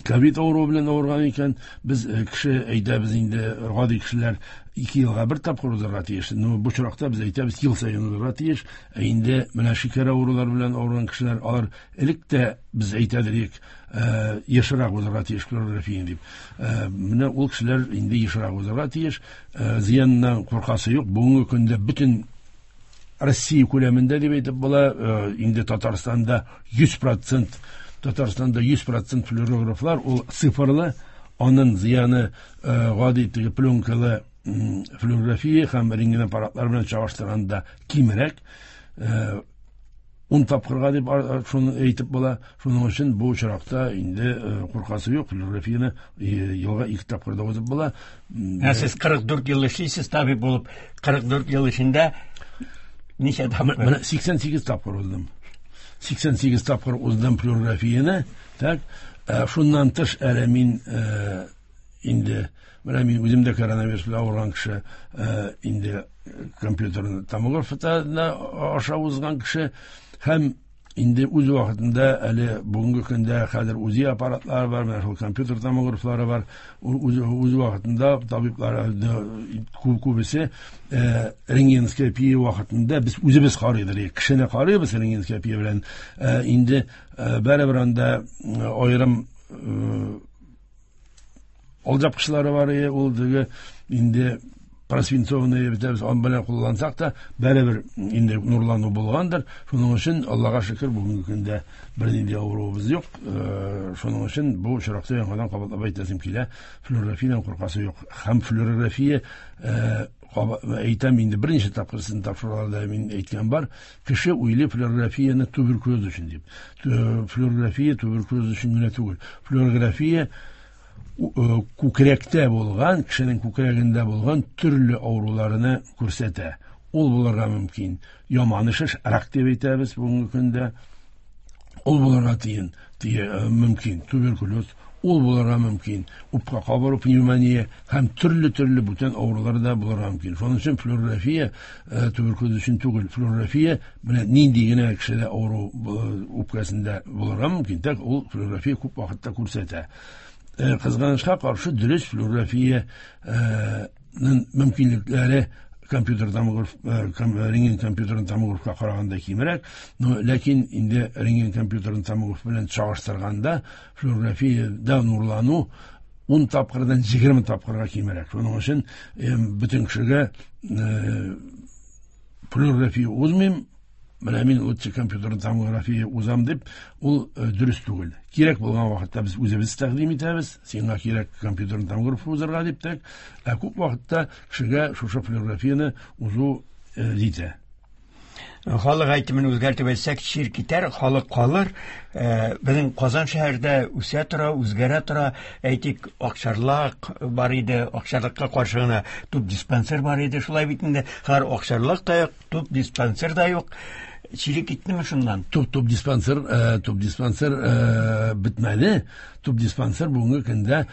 ковид авыруы белән авырган икән, без кеше әйтәбез инде, гади кешеләр ике елга бер тапкыр узарга тиеш. Но бу очракта без әйтәбез, ел саен узарга тиеш. Ә инде менә шикәр авырулары белән авырган кешеләр, алар элек тә без әйтәдек, ешрак узарга тиеш флюорография дип. Менә ул кешеләр инде ешрак узарга тиеш. Зыяннан куркасы юк. Бүгенге көндә бөтен Россия күләмендә дип әйтеп була, инде Татарстанда йөз процент, Татарстанда йөз процент флюорографлар ул цифрлы, аның зыяны гади теге пленкалы флюорография һәм рентген аппаратлар белән чагыштырганда кимрәк, ун тапкырга дип шуны әйтеп була. Шуның өчен бу очракта инде куркасы юк, флюорографияне елга ике тапкыр да узып була. Ә сез кырык дүрт ел эшлисез табиб булып, кырык дүрт ел эчендә ничә тапкыр? Менә сиксән сигез тапкыр уздым. Сиксән сигез тапкыр уздым флюорографияне. Так, шуннан тыш әле мин инде менә мин үзем дә коронавирус белән авырган кеше, инде компьютерны томографта аша узган кеше һәм инде үз вакытында әле бүгенге көндә хәзер УЗИ аппаратлары бар, менә шул компьютер томографлары бар. Үз, үз вакытында табиблар күбесе рентгеноскопия вакытында без үзебез карыйдыр, кешене карыйбыз рентгеноскопия белән. Инде барыбер анда аерым алҗапкычлары бар, ул теге инде просвинцованный битәбез, ан белән куллансак та бәребер инде нурлану булгандыр. Шуның өчен Аллага шөкер, бүгенге көндә бернинди авыруыбыз юк. Шуның өчен бу очракта яңадан кабатлап әйтәсем килә, флюорографиядән куркасы юк. Һәм флюорография әйтәм инде берничә тапкыр сезнең тапшыруларда мин әйткән бар, кеше уйлый флюорографияне туберкулез өчен дип. Флюорография туберкулез өчен генә түгел. Флюорография күкрәктә булган, кешенең күкрәгендә булган төрле авыруларны күрсәтә. Ул булырга мөмкин яман шеш, рак дип әйтәбез бүгенге көндә. Ул булырга тиен, мөмкин туберкулез, ул булырга мөмкин үпкә кабыру, пневмония һәм төрле-төрле бүтән авырулар да булырга мөмкин. Шуның өчен флюорография туберкулез өчен түгел. Флюорография менә нинди генә кешедә авыру үпкәсендә булырга мөмкин, тик ул флюорография күп вакытта күрсәтә. Кызганычка каршы, дөрес флюорографиянең мөмкинлекләре компьютер томограф, рентген компьютерын томографка караганда кимрәк, но ләкин инде рентген компьютерын томограф белән чагыштырганда флюорографиядә нурлану ун тапкырдан егерме тапкырга кимрәк. Шуның өчен бөтен кешегә флюорография узмыйм, менә мин лучше компьютер томография узам дип, ул дөрес түгел. Кирәк булган вакытта без үзебез тәкъдим итәбез, сиңа кирәк компьютер томограф узарга дип тә, ә күп вакытта кешегә шушы флюорографияне узу җитә. Халык әйтемен үзгәртеп әйтсәк, чир китәр, халык калыр. Безнең Казан шәһәрдә үсә тора, үзгәрә тора. Әйтик, Акчарлак бар иде, Акчарлакка каршы гына туп диспансер бар иде. Шулай бит инде, хәзер Акчарлак та юк, туп диспансер да юк. Чире киттеме шуннан? Туп, туп диспансер, туп диспансер бетмәде. Туп диспансер бүгенге көндә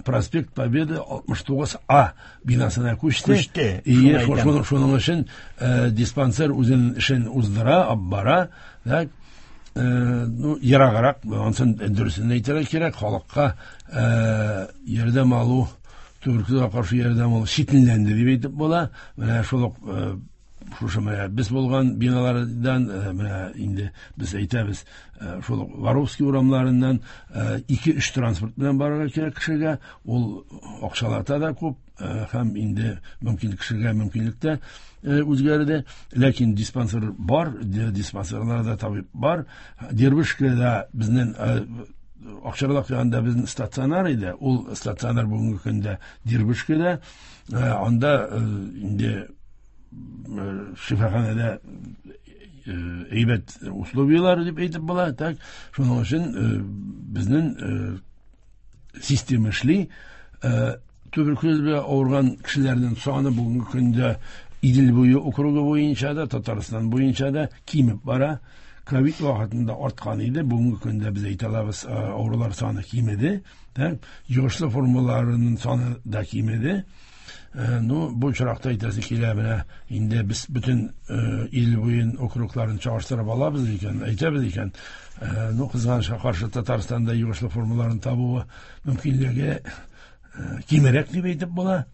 проспект Победы алтмыш тугыз А бинасына күчте. Күчте. Ие, шуның өчен диспансер үзенең эшен уздыра, алып бара. Так, ну, ераграк, ансын дөресен әйтергә кирәк, халыкка ярдәм алу, туберкулезга каршы ярдәм алу читенләнде дип әйтеп була. Менә шул ук шушы менә без булган биналардан, менә инде без әйтәбез, шул Воровский урамнарыннан ике-өч транспорт белән барырга кирәк кешегә, ул акчалата да күп, һәм инде мөмкин кешегә мөмкинлек тә үзгәрде. Ләкин диспансер бар, диспансерларда табиб бар. Дербышкада безнең Акчарлак янында безнең стационар иде, ул стационар бүгенге көндә Дербышкада, анда инде шифаханәдә әйбәт условияләр дип әйтеп була. Так, шуның өчен безнең система эшли. Туберкулез белән авырган кешеләрнең саны бүгенге көндә Идел буе округы буенча да, Татарстан буенча да кимеп бара. Ковид вакытында арткан иде, бүгенге көндә без әйтә алабыз, авырулар саны кимеде. Так, йогышлы формаларының саны да кимеде. Ну, бу очракта әйтәсе килә, менә инде без бөтен ил буен округларын чагыштырып алабыз икән, әйтәбез икән, ну, кызганычка каршы Татарстанда йогышлы формаларын табуы мөмкинлеге кимерәк дип әйтеп була.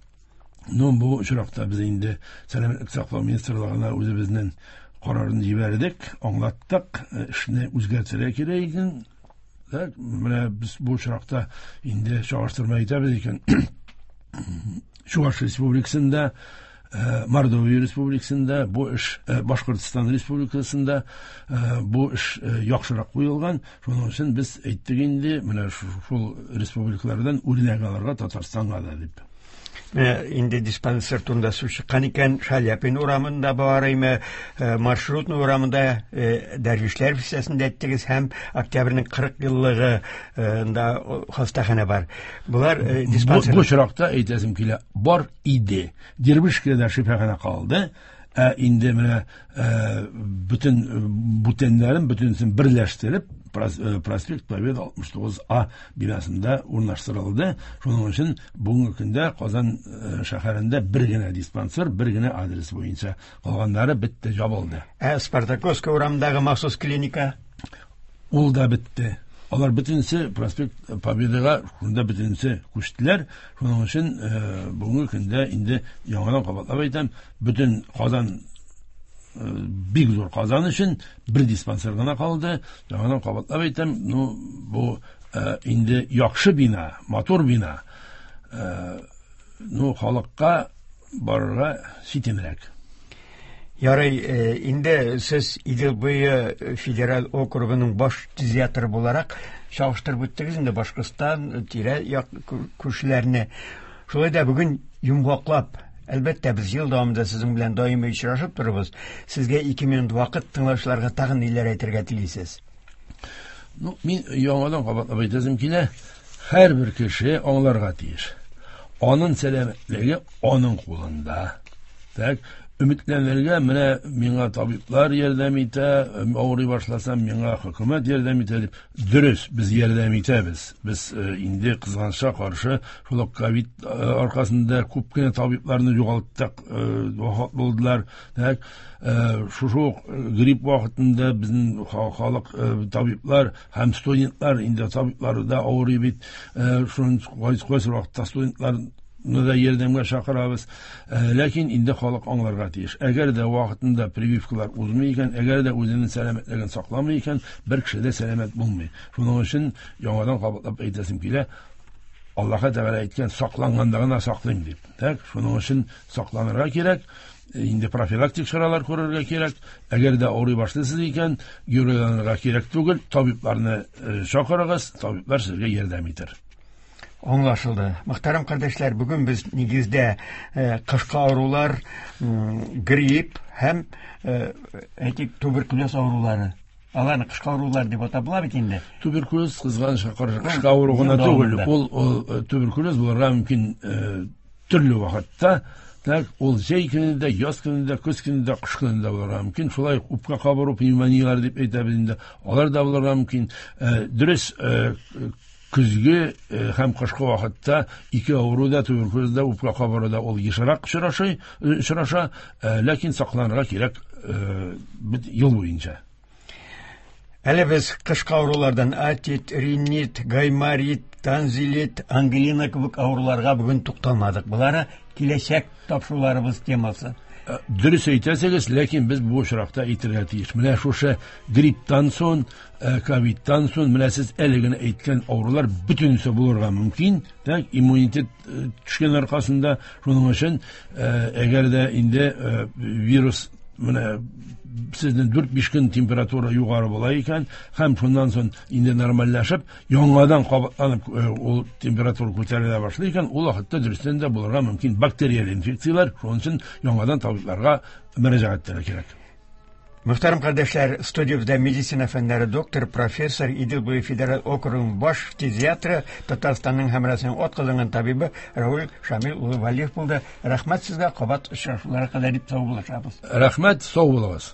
Ну, бу очракта без инде Сәламәтлек саклау министрлыгына үзебезнең карарын җибәрдек, аңлаттык, эшне үзгәртергә кирәк икән. Так, менә без бу очракта инде чагыштырма әйтәбез икән. Чуваш Республикасында, Мордовия Республикасында, бу эш Башкортстан Республикасында бу эш яхшырак куелган. Шуның өчен без әйттек инде, менә шул республикалардан үрнәк алырга Татарстанга да дип. Менә инде диспансер турында сүз чыккан икән, Шаляпин урамында бар име, Маршрутный урамында, Дәрвишләр бистәсендә әйттегез, һәм Октябрьнең кырык еллыгында хастаханә бар. Булар диспансер. Бу очракта әйтәсем килә, бар иде. Дербышкада шифаханә калды. Ә инде менә бөтен бүтәннәрен бөтенесен берләштереп проспект Победы алтмыш тугыз А бинасында урнаштырылды. Шуның өчен бүгенге көндә Казан шәһәрендә бер генә диспансер, бер генә адрес буенча, калганнары бетте, ябылды. Ә Спартаковская урамындагы махсус клиника? Ул да бетте. Алар бөтенесе проспект Победага шунда бөтенесе күчтеләр. Шуның өчен бүгенге көндә инде яңадан кабатлап әйтәм, бөтен Казан бик зур Казан өчен бер диспансер гына калды. Яңадан кабатлап әйтәм, ну бу инде яхшы бина, матур бина. Ну халыкка барырга читенрәк. Ярый, инде сез Идел буе федераль округының баш фтизиатры буларак чагыштырып үттегез инде Башкортстан тирә-як күршеләрне. Шулай да бүген йомгаклап, әлбәттә, без ел дәвамында сезнең белән даими очрашып торабыз. Сезгә ике минут вакыт, тыңлаучыларга тагын ниләр әйтергә телисез? Ну, мин яңадан кабатлап әйтәсем килә, һәрбер кеше аңларга тиеш. Аның сәламәтлеге аның кулында. Так, өметләнергә, менә миңа табиблар ярдәм итә, авырый башласам, миңа хөкүмәт ярдәм итә дип. Дөрес, без ярдәм итәбез. Без инде кызганычка каршы шул ук ковид аркасында күп кенә табибларны югалттык, вафат булдылар. Так, шушы ук грипп вакытында безнең халык табиблар һәм студентлар, инде табиблар да авырый бит, шуның кайсы вакытта студентлар да ярдәмгә чакырабыз. Ләкин инде халык аңларга тиеш. Әгәр дә вакытында прививкалар узмый икән, әгәр дә үзенең сәламәтлеген сакламый икән, бер кеше дә сәламәт булмый. Шуның өчен яңадан кабатлап әйтәсем килә, Аллаһ Тәгалә әйткән, сакланганда гына саклыйм дип. Так, шуның өчен сакланырга кирәк, инде профилактик чаралар күрергә кирәк. Әгәр дә авырый башлыйсыз икән, геройланырга кирәк түгел, табибларны чакырыгыз, табиблар сезгә ярдәм итәр. Аңлашылды. Мөхтәрәм кардәшләр, бүген без нигездә кышкы авырулар, грипп һәм, әйтик, туберкулез авырулары. Аларны кышкы авырулар дип атап була бит инде. Туберкулез кызганычка каршы кышкы авыру гына түгел. Ул туберкулез булырга мөмкин төрле вакытта. Так, ул җәй көнендә, яз көнендә, көз көнендә, кыш көнендә булырга мөмкин. Шулай ук үпкә кабыру, пневмонияләр дип әйтәбез инде. Алар да булырга мөмкин. Дөрес, көзге һәм кышкы вакытта ике авыру да, туберкулез да, үпкә кабыру да ул ешрак очраша, ләкин сакланырга кирәк ел буенча. Әле без кышкы авырулардан отит, ринит, гайморит, танзилит, ангина кебек авыруларга бүген тукталмадык. Болары киләчәк тапшыруларыбыз темасы. Дөрес әйтәсегез, ләкин без бу очракта әйтергә тиеш. Менә шушы грипптан соң, ковидтан соң, менә сез әле генә әйткән авырулар бөтенесе булырга мөмкин. Так, иммунитет төшкән аркасында, шуның өчен, әгәр дә инде вирус менә сезнең дүрт-биш көн температура югары була икән, һәм шуннан соң инде нормальләшеп, яңадан кабатланып ул температура күтәрелә башлый икән, ул вакытта дөрестән дә булырга мөмкин бактериаль инфекцияләр, шуның өчен яңадан табибларга мөрәҗәгать итәргә кирәк. Мөхтәрәм кардәшләр, студиябездә медицина фәннәре докторы, профессор, Идел буе федераль округының баш фтизиатры, Татарстанның һәм Россиянең атказанган табибы Равил Шамил улы Валиев булды. Рәхмәт сезгә, кабат очрашуларга кадәр дип сау булышабыз. Рәхмәт, сау булыгыз.